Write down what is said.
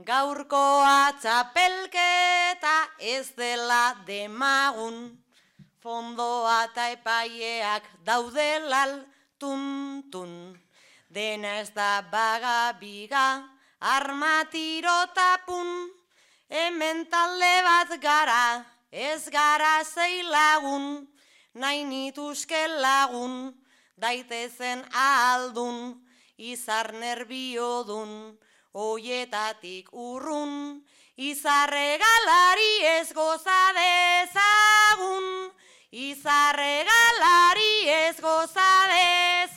Gaurkoa txapelketa ez dela demagun, fondoa eta epaieak daudelal tuntun. Dena ez da bagabiga, armatirotapun, hemen talde bat gara, ez gara sei lagun, nahi nituzke lagun, daitezen ahaldun, izar nerbiodun, oietatik urrun, izarregalari ez goza dezagun, izarregalari ez goza dezagun.